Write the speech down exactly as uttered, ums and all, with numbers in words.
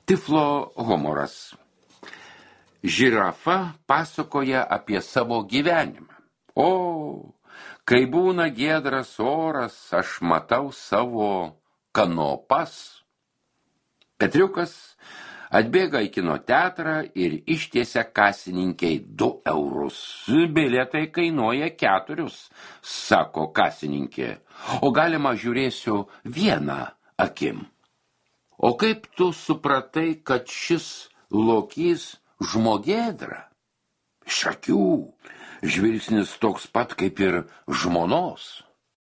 Tiflo humoras. Žirafa pasakoja apie savo gyvenimą. O, kai būna giedras oras, aš matau savo kanopas. Petriukas atbėga į kino teatrą ir ištiesia kasininkei du eurus. Bilietai kainuoja keturius, sako kasininkė. O galima žiūrėsiu vieną akim. O kaip tu supratai, kad šis lokys žmogėdra? Iš akių, žvilgsnis toks pat kaip ir žmonos.